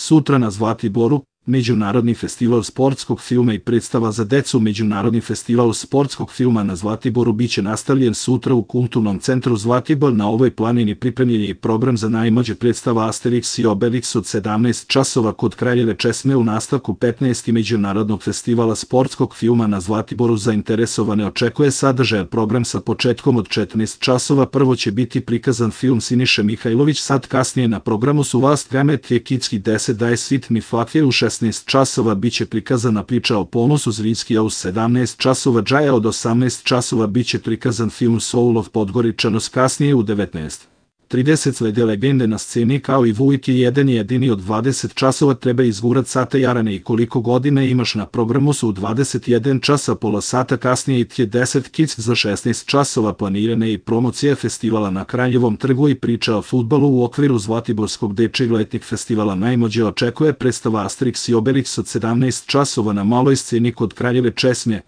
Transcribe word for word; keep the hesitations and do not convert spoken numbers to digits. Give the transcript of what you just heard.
Sutra na Zlatiboru, Međunarodni festival sportskog filma i predstava za decu. Međunarodni festival sportskog filma na Zlatiboru biće nastavljen sutra u Kulturnom centru Zlatibor. Na ovoj planini pripremljen je i program za najmlađe, predstava Asterix i Obelix od sedamnaest časova kod Kraljeve česme u nastavku petnaestog Međunarodnog festivala sportskog filma na Zlatiboru. Zainteresovane očekuje sadržajan program sa početkom od četrnaest časova. Prvo će biti prikazan film Siniše Mihajlović, sad kasnije na programu su Last Geometry Kitski deset daje Sitni Fakir. U šesnaest časova biće prikazana priča o ponosu Zrinski, a u sedamnaest časova Džaja. Od osamnaest časova biće prikazan film Soul of Podgoričanos. Kasnije u devetnaest trideset slede legende na sceni kao i Vujk je jedan jedini. Od dvadeset časova treba izgurat sata Jarane i koliko godine imaš. Na programu su u dvadeset jedan časa, pola sata kasnije i Tje deset Kids. Za šesnaest časova planirane i promocija festivala na Kraljevom trgu i priča o fudbalu u okviru Zlatiborskog dečijeg letnjeg festivala. Najmlađe očekuje predstava Asterix i Obelix od sedamnaest časova na maloj sceni kod Kraljeve česme.